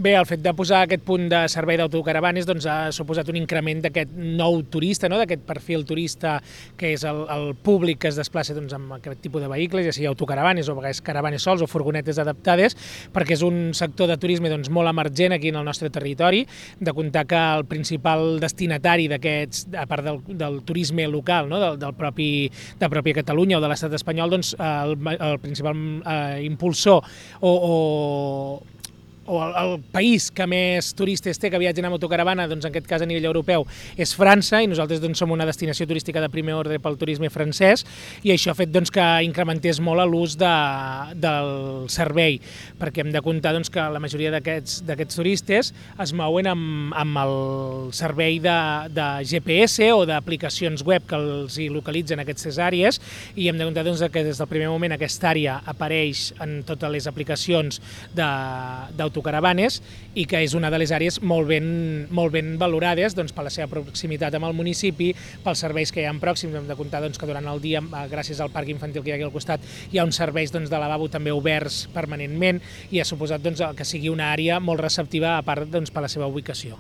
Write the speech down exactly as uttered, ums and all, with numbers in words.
Bé, el fet de posar aquest punt de servei d'autocaravanes doncs, ha suposat un increment d'aquest nou turista, no? D'aquest perfil turista que és el, el públic que es desplaça doncs, amb aquest tipus de vehicles, ja sigui autocaravanes o a vegades caravanes sols o furgonetes adaptades, perquè és un sector de turisme doncs, molt emergent aquí en el nostre territori, de comptar que el principal destinatari d'aquests, a part del, del turisme local, no? del, del propi, de pròpia Catalunya o de l'estat espanyol, doncs, el, el principal eh, impulsor o, o o el, el país que més turistes té que viatgen amb autocaravana, doncs en aquest cas a nivell europeu, és França, i nosaltres doncs, som una destinació turística de primer ordre pel turisme francès, i això ha fet doncs, que incrementés molt l'ús de, del servei, perquè hem de comptar doncs, que la majoria d'aquests turistes es mouen amb, amb el servei de, de G P S o d'aplicacions web que els hi localitzen aquestes àrees, i hem de comptar doncs, que des del primer moment aquesta àrea apareix en totes les aplicacions d'autocaravanes autocaravanes i que és una de les àrees molt ben, molt ben valorades doncs, per la seva proximitat amb el municipi, pels serveis que hi ha pròxims. Hem de comptar doncs, que durant el dia, gràcies al parc infantil que hi ha aquí al costat, hi ha uns serveis doncs, de lavabo també oberts permanentment i ha suposat doncs, que sigui una àrea molt receptiva a part doncs, per la seva ubicació.